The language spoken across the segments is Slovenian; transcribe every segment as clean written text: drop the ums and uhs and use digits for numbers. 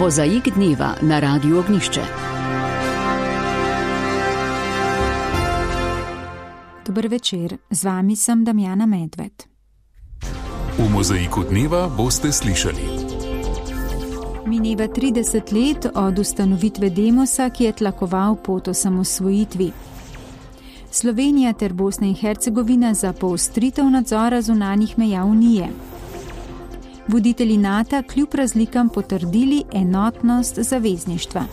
Mozaik dneva na Radiu Ognjišče. Dober večer, z vami sem Damjana Medved. V Mozaiku dneva boste slišali. Mineva 30 let od ustanovitve Demosa, ki je tlakoval pot osamosvojitvi. Slovenija ter Bosna in Hercegovina za poostritev nadzora zunanjih meja Unije. Voditelji NATO kljub razlikam potrdili enotnost zavezništva.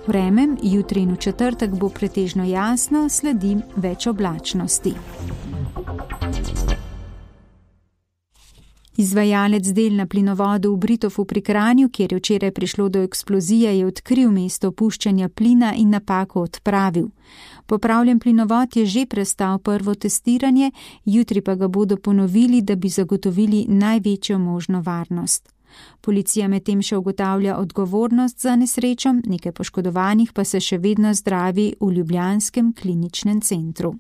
Vreme, jutri in v četrtek bo pretežno jasno, sledi več oblačnosti. Izvajalec del na plinovodu v Britofu pri Kranju, kjer je včeraj prišlo do eksplozije, je odkril mesto opuščanja plina in napako odpravil. Popravljen plinovod je že prestal prvo testiranje, jutri pa ga bodo ponovili, da bi zagotovili največjo možno varnost. Policija medtem še ugotavlja odgovornost za nesrečo, nekaj poškodovanih pa se še vedno zdravi v ljubljanskem kliničnem centru.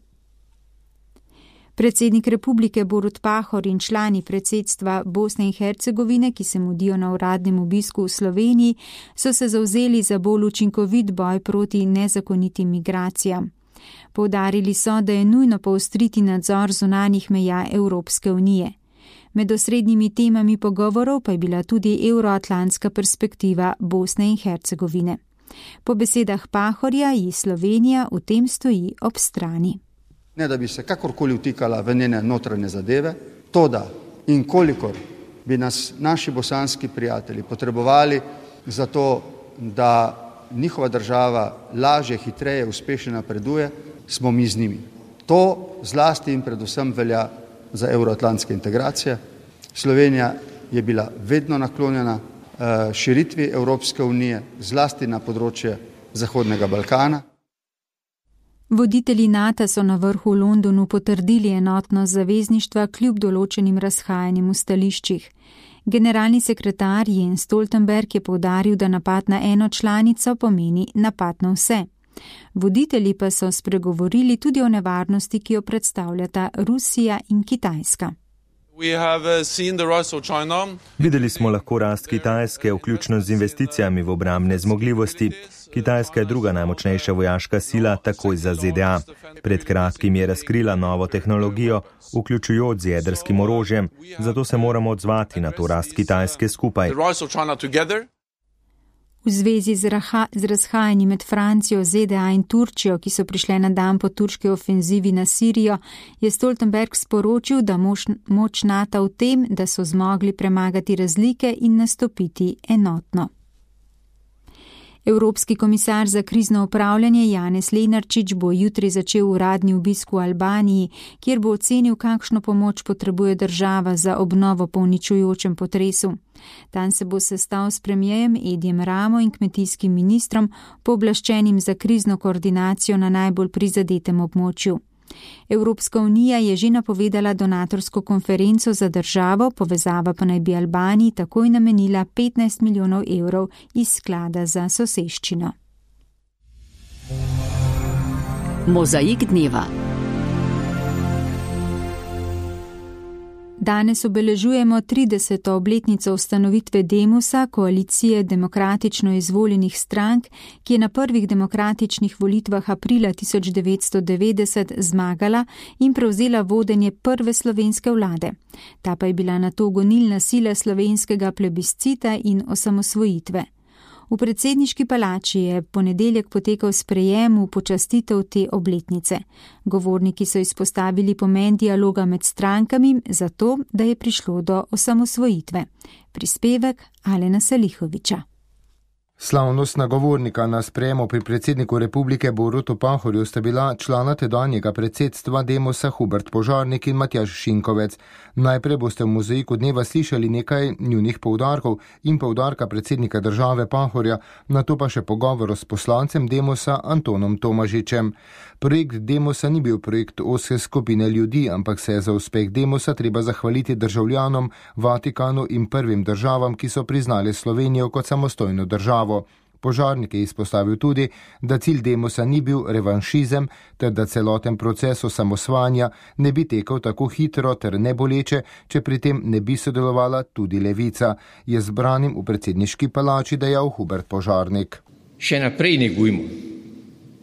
Predsednik republike Borut Pahor in člani predsedstva Bosne in Hercegovine, ki se mudijo na uradnem obisku v Sloveniji, so se zavzeli za bolj učinkovit boj proti nezakonitim migracijam. Poudarili so, da je nujno poostriti nadzor zunanjih meja Evropske unije. Med osrednjimi temami pogovorov pa je bila tudi evroatlantska perspektiva Bosne in Hercegovine. Po besedah Pahorja ji Slovenija v tem stoji ob strani. Ne da bi se kakorkoli vtikala v njene notranje zadeve, to da in kolikor bi nas naši bosanski prijatelji potrebovali za to, da njihova država lažje, hitreje, uspešno napreduje, smo mi z njimi. To zlasti in predvsem velja za evroatlantske integracije. Slovenija je bila vedno naklonjena širitvi Evropske unije, zlasti na področje Zahodnega Balkana. Voditelji NATO so na vrhu v Londonu potrdili enotnost zavezništva kljub določenim razhajanjem v stališčih. Generalni sekretar Jens Stoltenberg je poudaril, da napad na eno članico pomeni napad na vse. Voditelji pa so spregovorili tudi o nevarnosti, ki jo predstavljata Rusija in Kitajska. Videli smo lahko rast Kitajske, vključno z investicijami v obrambne zmogljivosti. Kitajska je druga najmočnejša vojaška sila, takoj za ZDA. Pred kratkim je razkrila novo tehnologijo, vključujoč z jedrskim orožjem, zato se moramo odzvati na to rast Kitajske skupaj. V zvezi z razhajanji med Francijo, ZDA in Turčijo, ki so prišle na dan po turški ofenzivi na Sirijo, je Stoltenberg sporočil, da moč NATO v tem, da so zmogli premagati razlike in nastopiti enotno. Evropski komisar za krizno upravljanje Janez Lenarčič bo jutri začel uradni obisk v Albaniji, kjer bo ocenil, kakšno pomoč potrebuje država za obnovo po uničujočem potresu. Tam se bo sestal s premijejem Edijem Ramo in kmetijskim ministrom, pooblaščenim za krizno koordinacijo na najbolj prizadetem območju. Evropska unija je že napovedala donatorsko konferenco za državo, povezava pa naj bi Albaniji takoj namenila 15 milijonov evrov iz sklada za soseščino. Mozaik dneva. Danes obeležujemo 30. obletnico ustanovitve Demosa, koalicije demokratično izvoljenih strank, ki je na prvih demokratičnih volitvah aprila 1990 zmagala in prevzela vodenje prve slovenske vlade. Ta pa je bila nato gonilna sila slovenskega plebiscita in osamosvojitve. V predsedniški palači je ponedeljek potekal sprejem v počastitev te obletnice. Govorniki so izpostavili pomen dialoga med strankami zato, da je prišlo do osamosvojitve. Prispevek Alena Salihoviča. Slavnostna govornika na sprejemu pri predsedniku republike Borutu Pahorju sta bila člana tedanjega predsedstva Demosa Hubert Požarnik in Matjaž Šinkovec. Najprej boste v Mozaiku dneva slišali nekaj njunih poudarkov in poudarka predsednika države Pahorja, nato pa še pogovor s poslancem Demosa Antonom Tomažičem. Projekt Demosa ni bil projekt ozke skupine ljudi, ampak se je za uspeh Demosa treba zahvaliti državljanom, Vatikanu in prvim državam, ki so priznali Slovenijo kot samostojno državo. Požarnik je izpostavil tudi, da cilj Demosa ni bil revanšizem, ter da celoten proces osamosvanja ne bi tekel tako hitro ter neboleče, če pri tem ne bi sodelovala tudi Levica, je zbranim v predsedniški palači dejal Hubert Požarnik. Še naprej negujmo,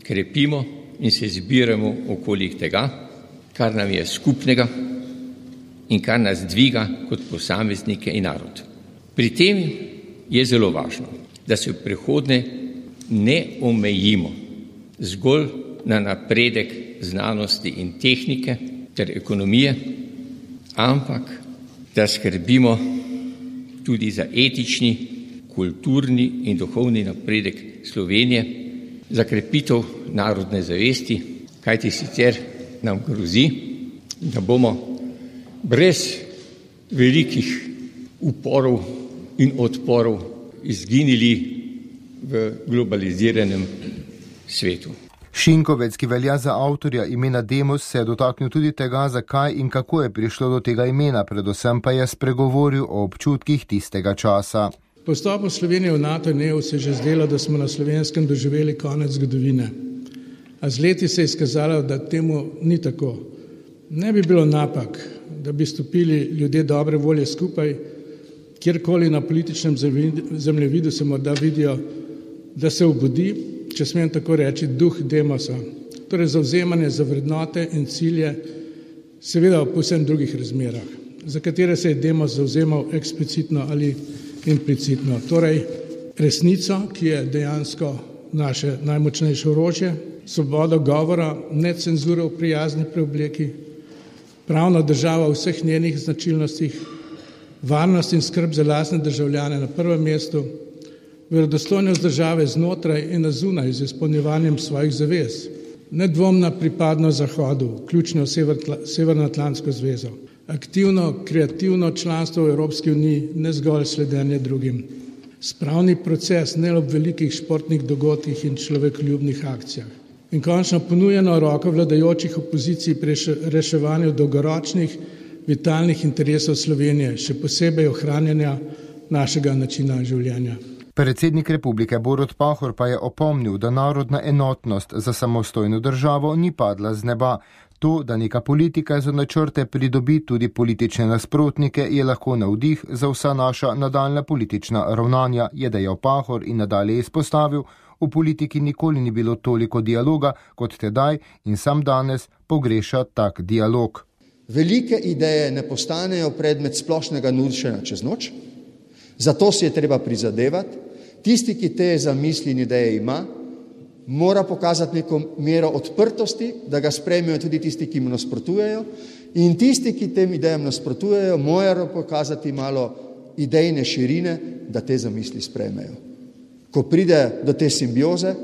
krepimo in se zbiramo okoli tega, kar nam je skupnega in kar nas dviga kot posameznike in narod. Pri tem je zelo važno, da se v prihodnje ne omejimo zgolj na napredek znanosti in tehnike ter ekonomije, ampak da skrbimo tudi za etični, kulturni in duhovni napredek Slovenije, za krepitev narodne zavesti, kajti sicer nam grozi, da bomo brez velikih uporov in odporov izginili v globaliziranem svetu. Šinkovec, ki velja za avtorja imena Demos, se je dotaknil tudi tega, zakaj in kako je prišlo do tega imena, predvsem pa je spregovoril o občutkih tistega časa. Po vstopu Slovenije v NATO in EU se je že zdelo, da smo na Slovenskem doživeli konec zgodovine. A z leti se je izkazalo, da temu ni tako. Ne bi bilo napak, da bi stopili ljudje dobre volje skupaj, kjerkoli na političnem zemljevidu se morda vidijo, da se obudi, če smem tako reči, duh Demosa, torej zavzemanje za vrednote in cilje, seveda v povsem drugih razmerah, za katere se je Demos zavzemal eksplicitno ali implicitno. Torej resnico, ki je dejansko naše najmočnejše orožje, svobodo govora, necenzuro v prijazni preobleki, pravna država v vseh njenih značilnostih, varnost in skrb za lastne državljane na prvem mestu, verodostojnost države znotraj in na zunaj z izpolnjevanjem svojih zavez, nedvomna pripadnost Zahodu, vključno Severnoatlantsko zvezo, aktivno, kreativno članstvo v Evropski uniji, ne zgolj sledenje drugim, spravni proces ne ob velikih športnih dogodkih in človekoljubnih akcijah in končno ponujeno roko vladajočih opozicij pri reševanju dolgoročnih vitalnih interesov Slovenije, še posebej ohranjanja našega načina življenja. Predsednik republike Borut Pahor pa je opomnil, da narodna enotnost za samostojno državo ni padla z neba. To, da neka politika za načrte pridobi tudi politične nasprotnike, je lahko navdih za vsa naša nadaljna politična ravnanja, je dejal Pahor in nadalje izpostavil, v politiki nikoli ni bilo toliko dialoga kot tedaj in sam danes pogreša tak dialog. Velike ideje ne postanejo predmet splošnega nudenja čez noč, zato si je treba prizadevati. Tisti, ki te zamisli in ideje ima, mora pokazati neko mero odprtosti, da ga sprejmejo tudi tisti, ki mu nasprotujejo, in tisti, ki tem idejam nasprotujejo, morajo pokazati malo idejne širine, da te zamisli sprejmejo. Ko pride do te simbioze,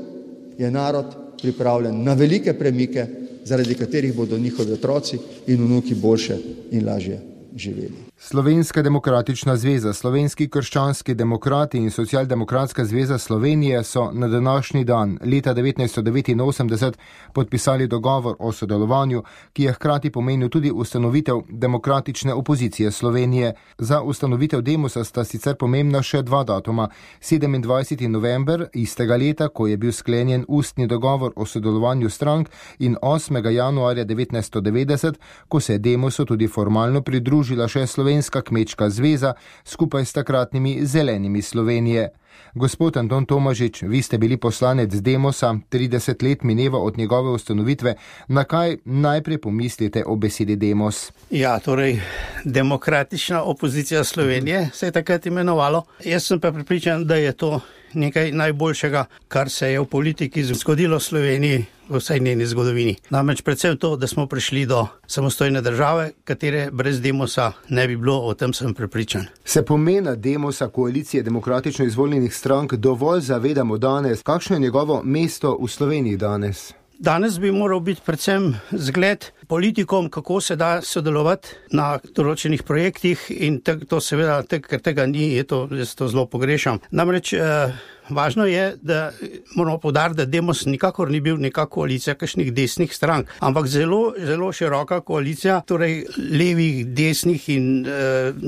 je narod pripravljen na velike premike, zaradi katerih bodo njihovi otroci in vnuki boljše in lažje živeli. Slovenska demokratična zveza, Slovenski krščanski demokrati in Socialdemokratska zveza Slovenije so na današnji dan leta 1989 podpisali dogovor o sodelovanju, ki je hkrati pomenil tudi ustanovitev demokratične opozicije Slovenije. Za ustanovitev Demosa sta sicer pomembna še dva datuma. 27. november istega leta, ko je bil sklenjen ustni dogovor o sodelovanju strank, in 8. januarja 1990, ko se je Demosu tudi formalno pridružila še Slovenska kmečka zveza skupaj s takratnimi Zelenimi Slovenije. Gospod Anton Tomažič, vi ste bili poslanec Demosa, 30 let mineva od njegove ustanovitve. Na kaj najprej pomislite o besedi Demos? Ja, torej, demokratična opozicija Slovenije se je takrat imenovalo. Jaz sem pa prepričan, da je to nekaj najboljšega, kar se je v politiki zgodilo Sloveniji v vsej njeni zgodovini. Namreč predvsem to, da smo prišli do samostojne države, katere brez Demosa ne bi bilo, o tem sem prepričan. Se pomena Demosa, koalicije demokratično izvoljenih strank, dovolj zavedamo danes? Kakšno je njegovo mesto v Sloveniji danes? Danes bi moral biti predvsem zgled politikom, kako se da sodelovati na določenih projektih in to seveda, ker tega ni, jaz to zelo pogrešam. Namreč Važno je, da moramo poudariti, da Demos nikakor ni bil neka koalicija kakšnih desnih strank, ampak zelo, zelo široka koalicija, torej levih, desnih in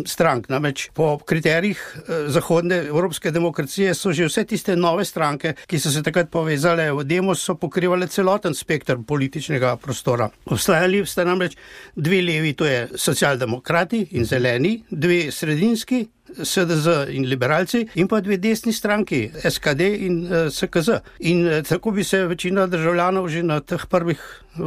strank. Namreč po kriterijih zahodne evropske demokracije so že vse tiste nove stranke, ki so se takrat povezale v Demos, so pokrivale celoten spektr političnega prostora. Obstajali sta namreč dve levi, to je socialdemokrati in zeleni, dve sredinski, SDZ in liberalci, in pa dve desni stranki, SKD in SKZ. In tako bi se večina državljanov že na teh prvih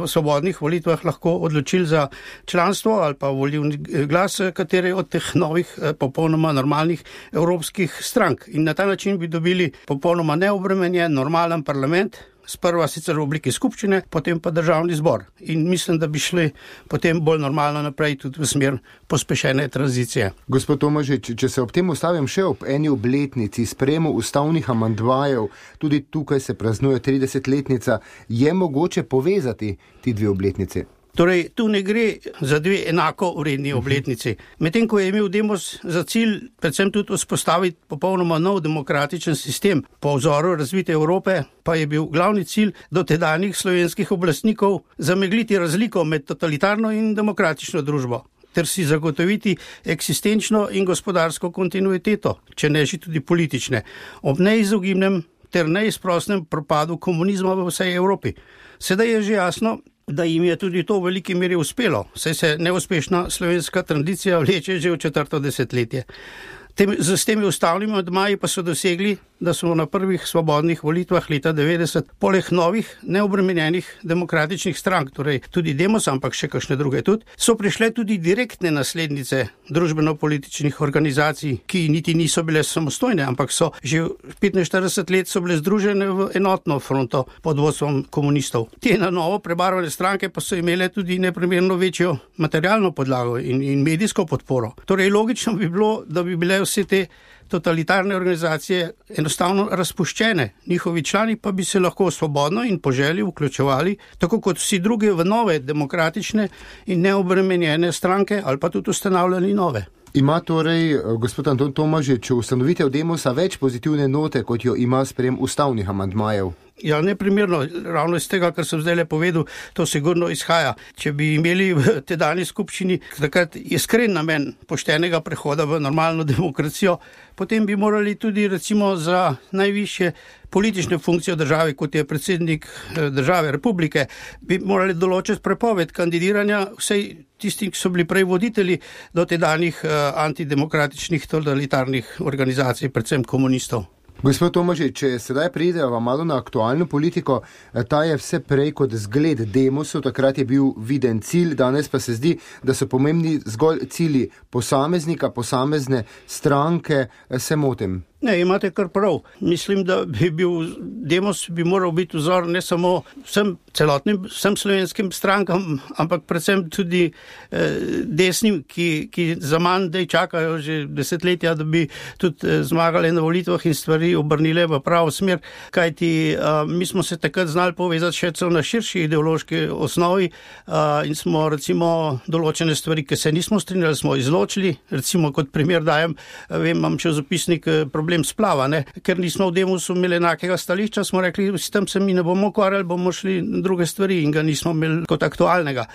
svobodnih volitvah lahko odločili za članstvo ali pa volilni glas katere od teh novih, popolnoma normalnih evropskih strank. In na ta način bi dobili popolnoma neobremenjen, normalen parlament, sprva sicer v obliki skupščine, potem pa državni zbor. In mislim, da bi šli potem bolj normalno naprej tudi v smer pospešene tranzicije. Gospod Tomažič, če se ob tem ustavim še ob eni obletnici sprejemu ustavnih amandmajev, tudi tukaj se praznuje 30-letnica, je mogoče povezati ti dve obletnici? Torej, tu ne gre za dve enako vredni obletnici. Medtem ko je imel Demos za cilj predvsem tudi vzpostaviti popolnoma nov demokratičen sistem po vzoru razvite Evrope, pa je bil glavni cilj dotedanjih slovenskih oblastnikov zamegliti razliko med totalitarno in demokratično družbo ter si zagotoviti eksistenčno in gospodarsko kontinuiteto, če ne že tudi politične, ob neizogibnem ter neizprosnem propadu komunizma v vsej Evropi. Sedaj je že jasno, da jim je tudi to v veliki meri uspelo, saj se neuspešna slovenska tradicija vleče že v 4. desetletje. S temi ustavnimi amandmaji pa so dosegli, da smo na prvih svobodnih volitvah leta 90 poleg novih neobremenjenih demokratičnih strank, torej tudi Demos, ampak še kakšne druge tudi, so prišle tudi direktne naslednice družbeno-političnih organizacij, ki niti niso bile samostojne, ampak so že 45 let so bile združene v enotno fronto pod vodstvom komunistov. Te na novo prebarvane stranke pa so imele tudi neprimerno večjo materialno podlago in medijsko podporo. Torej logično bi bilo, da bi bile vse te totalitarne organizacije enostavno razpuščene. Njihovi člani pa bi se lahko svobodno in po želji vključevali, tako kot vsi drugi, v nove demokratične in neobremenjene stranke ali pa tudi ustanavljali nove. Ima torej gospod Anton Tomažič ustanovitev Demosa več pozitivne note, kot jo ima sprejem ustavnih amandmajev? Ja, neprimerno, ravno iz tega, kar sem zdaj povedal, to sigurno izhaja. Če bi imeli v tedajni skupščini takrat iskren namen poštenega prehoda v normalno demokracijo, potem bi morali tudi recimo za najvišje politične funkcije države, kot je predsednik države, republike, bi morali določiti prepoved kandidiranja vsej tistim, ki so bili prej voditelji do tedajnih antidemokratičnih totalitarnih organizacij, predvsem komunistov. Gospod Tomažič, če sedaj prideva malo na aktualno politiko, ta je vse prej kot zgled Demosu, takrat je bil viden cilj, danes pa se zdi, da so pomembni zgolj cilji posameznika, posamezne stranke, se motim. Ne, imate kar prav. Mislim, da Demos bi moral biti vzor ne samo vsem slovenskim strankam, ampak predvsem tudi desnim, ki za manj dej čakajo že desetletja, da bi tudi zmagali na volitvah in stvari obrnile v pravo smer, kajti mi smo se takrat znali povezati še celo na širši ideološki osnovi in smo recimo določene stvari, ki se nismo strinjali, smo izločili. Recimo kot primer dajem, imam časopisnik problem splava, ne? Ker nismo v Demosu imeli enakega stališča, smo rekli, s tem se mi ne bomo ukvarjali, bomo šli druge stvari in ga nismo imeli kot aktualnega.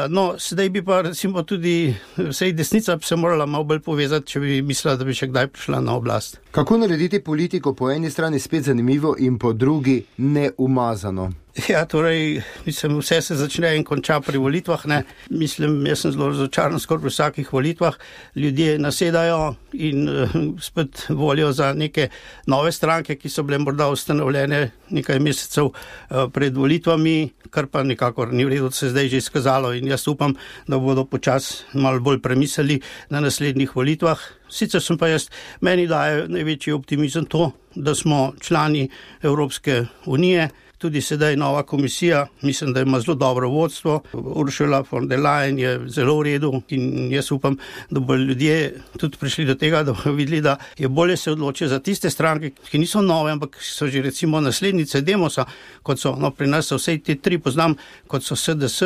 No, sedaj bi pa recimo tudi vsej desnica se morala malo bolj povezati, če bi mislila, da bi še kdaj prišla na oblast. Kako narediti politiko po eni strani spet zanimivo in po drugi neumazano? Ja, torej, mislim, vse se začne in konča pri volitvah, ne. Mislim, jaz sem zelo razočaran skoraj pri vsakih volitvah. Ljudje nasedajo in spet volijo za neke nove stranke, ki so bile morda ustanovljene nekaj mesecev pred volitvami, kar pa nikakor ni v redu, se zdaj že izkazalo in jaz upam, da bodo počasi malo bolj premislili na naslednjih volitvah. Sicer sem pa meni daje največji optimizem to, da smo člani Evropske unije, tudi sedaj nova komisija, mislim, da ima zelo dobro vodstvo. Ursula von der Leyen je zelo v redu in jaz upam, da bo ljudje tudi prišli do tega, da bodo videli, da je bolje se odločiti za tiste stranke, ki niso nove, ampak so že recimo naslednice Demosa, kot so, pri nas so vse te tri poznam, kot so SDS,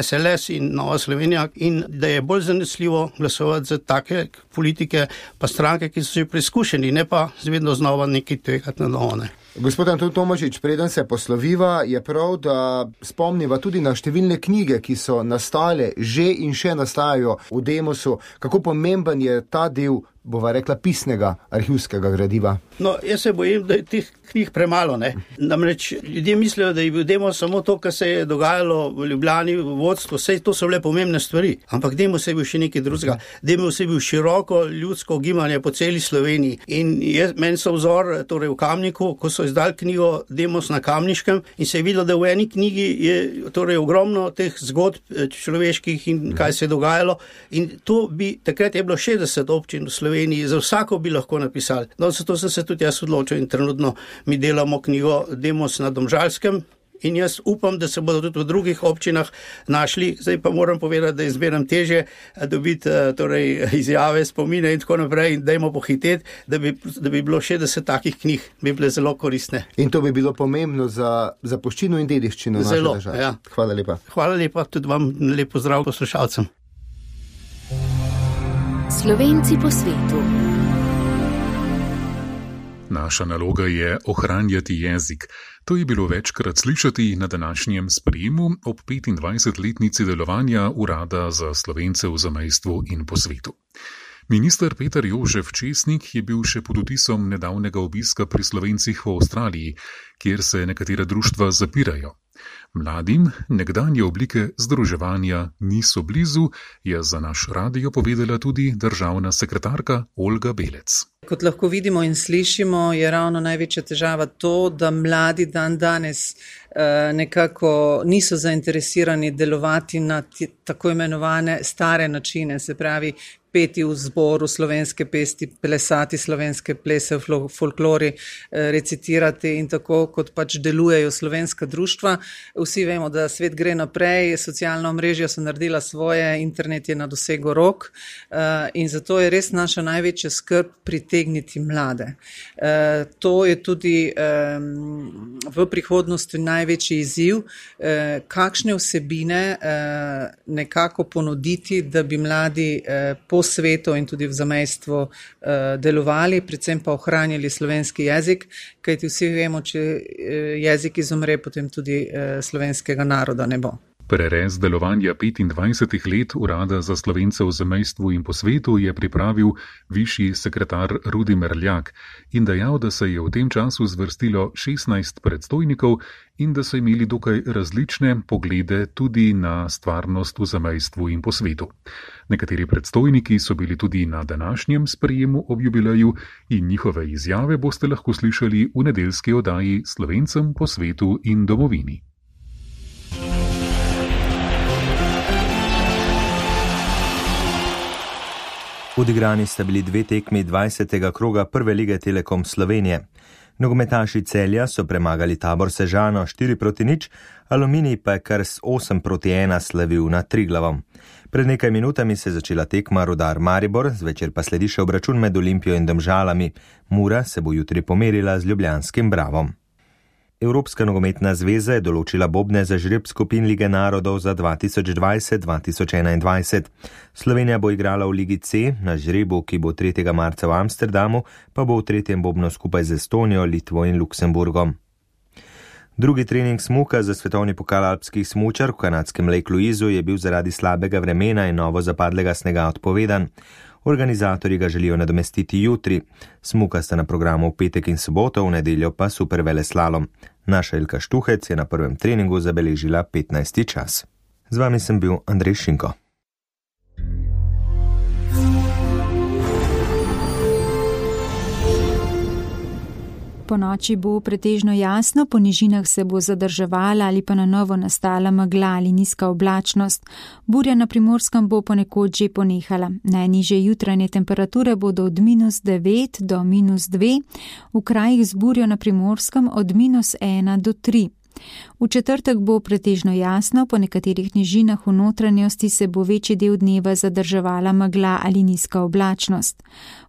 SLS in Nova Slovenija, in da je bolj zanesljivo glasovati za take politike pa stranke, ki so že preizkušeni, ne pa vedno znova nekaj tvegati na novo. Gospod Anton Tomažič, preden se posloviva, je prav, da spomniva tudi na številne knjige, ki so nastale že in še nastajajo v Demosu. Kako pomemben je ta del, bova rekla, pisnega arhivskega gradiva? No, jaz se bojim, da je teh knjig premalo, ne. Namreč ljudje mislijo, da je bil Demos samo to, kar se je dogajalo v Ljubljani, v vodstvu, vse to so bile pomembne stvari, ampak Demos je bil še nekaj drugega. Demos je bil široko ljudsko gibanje po celi Sloveniji in meni so vzor, torej v Kamniku, ko so izdali knjigo Demos na Kamniškem in se je videlo, da v eni knjigi je torej ogromno teh zgodb človeških in kaj se je dogajalo in to bi, takrat je bilo 60 občin v Sloveniji, za vsako bi lahko napisali. No, zato sem se tudi jaz odločil in trenutno mi delamo knjigo Demos na Domžalskem in jaz upam, da se bodo tudi v drugih občinah našli. Zdaj pa moram povedati, da je zmeraj težje dobiti torej izjave, spomine in tako naprej in dajmo pohiteti, da bi bilo 60 takih knjig, bi bile zelo koristne. In to bi bilo pomembno za zapuščino in dediščino naše države. Ja. Hvala lepa. Hvala lepa, tudi vam lep pozdrav poslušalcem. Slovenci po svetu. Naša naloga je ohranjati jezik. To je bilo večkrat slišati na današnjem sprejemu ob 25-letnici delovanja Urada za Slovence v zamejstvu in po svetu. Minister Peter Jožef Česnik je bil še pod vtisom nedavnega obiska pri Slovencih v Avstraliji, kjer se nekatera društva zapirajo. Mladim nekdanje oblike združevanja niso blizu, je za naš radio povedala tudi državna sekretarka Olga Belec. Kot lahko vidimo in slišimo, je ravno največja težava to, da mladi danes nekako niso zainteresirani delovati na tako imenovane stare načine, se pravi peti v zboru slovenske pesti, plesati slovenske plese v folklori, recitirati in tako, kot pač delujejo slovenska društva. Vsi vemo, da svet gre naprej, socialna omrežja so naredila svoje, internet je na dosegu rok in zato je res naša največja skrb pritegniti mlade. To je tudi v prihodnosti največji izziv, kakšne vsebine nekako ponuditi, da bi mladi po svetu in tudi v zamejstvu delovali, predvsem pa ohranjali slovenski jezik, kajti vsi vemo, če jezik izumre, potem tudi slovenskega naroda ne bo. Prerez delovanja 25 let Urada za Slovence v zamejstvu in po svetu je pripravil višji sekretar Rudi Merljak in dejal, da se je v tem času zvrstilo 16 predstojnikov in da so imeli dokaj različne poglede tudi na stvarnost v zamejstvu in po svetu. Nekateri predstojniki so bili tudi na današnjem sprejemu ob jubileju in njihove izjave boste lahko slišali v nedeljski oddaji Slovencem po svetu in domovini. Odigrani sta bili 2 tekmi 20. kroga Prve lige Telekom Slovenije. Nogometaši Celja so premagali Tabor Sežano 4-0, Aluminij pa je kar s 8-1 slavil nad Triglavom. Pred nekaj minutami se je začela tekma Rudar Maribor, zvečer pa sledi še obračun med Olimpijo in Domžalami. Mura se bo jutri pomerila z ljubljanskim Bravom. Evropska nogometna zveza je določila bobne za žreb skupin Lige narodov za 2020-2021. Slovenija bo igrala v Ligi C, na žrebu, ki bo 3. marca v Amsterdamu, pa bo v 3. bobnu skupaj z Estonijo, Litvo in Luksemburgom. Drugi trening smuka za svetovni pokal alpskih smučark v kanadskem Lake Louisu je bil zaradi slabega vremena in novo zapadlega snega odpovedan. Organizatorji ga želijo nadomestiti jutri. Smuka sta na programu v petek in soboto, v nedeljo pa superveleslalom. Naša Ilka Štuhec je na prvem treningu zabeležila 15. čas. Z vami sem bil Andrej Šinko. Po noči bo pretežno jasno, po nižinah se bo zadrževala ali pa na novo nastala megla ali nizka oblačnost. Burja na Primorskem bo ponekod že ponehala. Najnižje jutranje temperature bodo od -9 do -2, v krajih z burjo na Primorskem od -1 do 3. V četrtek bo pretežno jasno, po nekaterih nižinah v notranjosti se bo večji del dneva zadrževala megla ali nizka oblačnost.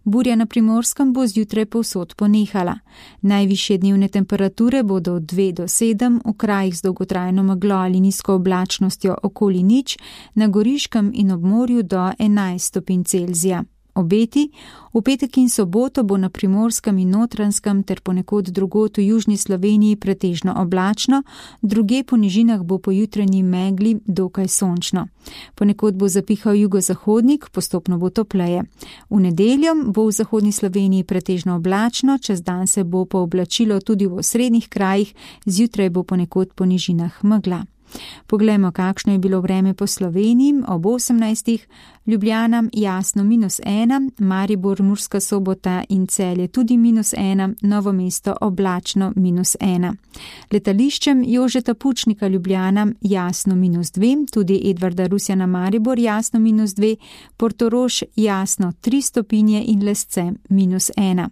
Burja na Primorskem bo zjutraj povsod ponehala. Najvišje dnevne temperature bodo od 2 do 7, v krajih z dolgotrajno meglo ali nizko oblačnostjo okoli 0, na Goriškem in ob morju do 11 stopinj Celzija. Obeti: v petek in soboto bo na Primorskem in Notranjskem ter ponekod drugod v južni Sloveniji pretežno oblačno, druge po nižinah bo po jutranji megli dokaj sončno. Ponekod bo zapihal jugozahodnik, postopno bo topleje. V nedeljo bo v zahodni Sloveniji pretežno oblačno, čez dan se bo pooblačilo tudi v osrednjih krajih, zjutraj bo ponekod po nižinah megla. Poglejmo, kakšno je bilo vreme po Sloveniji. Ob 18. Ljubljana jasno -1, Maribor, Murska Sobota in Celje tudi -1, Novo mesto oblačno -1. Letališčem Jožeta Pučnika Ljubljana jasno -2, tudi Edvarda Rusjana Maribor jasno -2, Portorož jasno 3 stopinje in Lesce -1.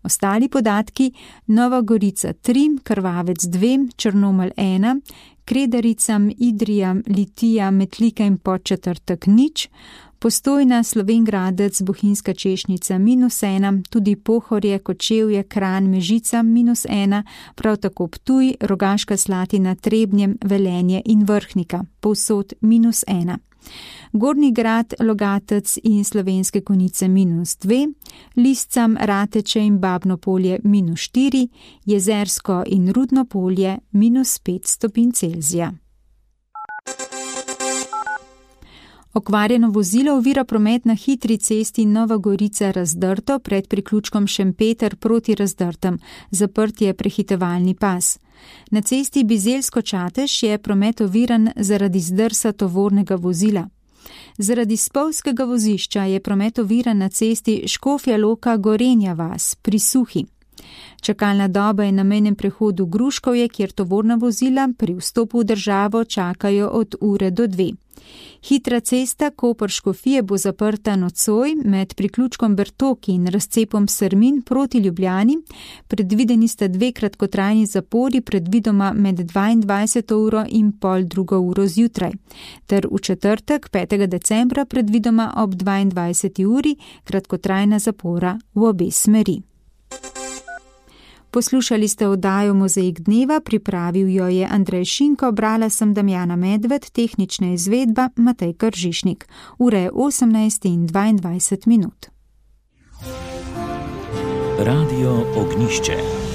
Ostali podatki: Nova Gorica 3, Krvavec 2, Črnomelj 1, Kredarica, Idrija, Litija, Metlika in Podčetrtek 0, Postojna, Slovenj Gradec, Bohinjska Češnjica -1, tudi Pohorje, Kočevje, Kranj, Mežica -1, prav tako Ptuj, Rogaška Slatina, Trebnje, Velenje in Vrhnika, povsod -1. Gornji Grad, Logatec in Slovenske Konjice -2, Liscam, Rateče in Babno Polje -4, Jezersko in Rudno Polje -5 stopinj Celzija. Okvarjeno vozilo ovira promet na hitri cesti Nova Gorica Razdrto pred priključkom Šempeter proti Razdrtem, zaprt je prehitevalni pas. Na cesti Bizeljsko-Čatež je promet oviran zaradi zdrsa tovornega vozila. Zaradi spolzkega vozišča je promet oviran na cesti Škofja Loka Gorenja vas pri Suhi. Čakalna doba je na mejnem prehodu Gruškovje, kjer tovorna vozila pri vstopu v državo čakajo od ure do 2. Hitra cesta Koper-Škofije bo zaprta nocoj med priključkom Bertoki in razcepom Srmin proti Ljubljani. Predvideni sta 2 kratkotrajni zapori, predvidoma med 22. uro in pol 2. uro zjutraj. Ter v četrtek, 5. decembra, predvidoma ob 22. uri, kratkotrajna zapora v obe smeri. Poslušali ste oddajo Mozaik dneva, pripravil jo je Andrej Šinko, brala sem Damjana Medved, tehnična izvedba Matej Kržišnik. Ura je 18:22. Radio Ognjišče.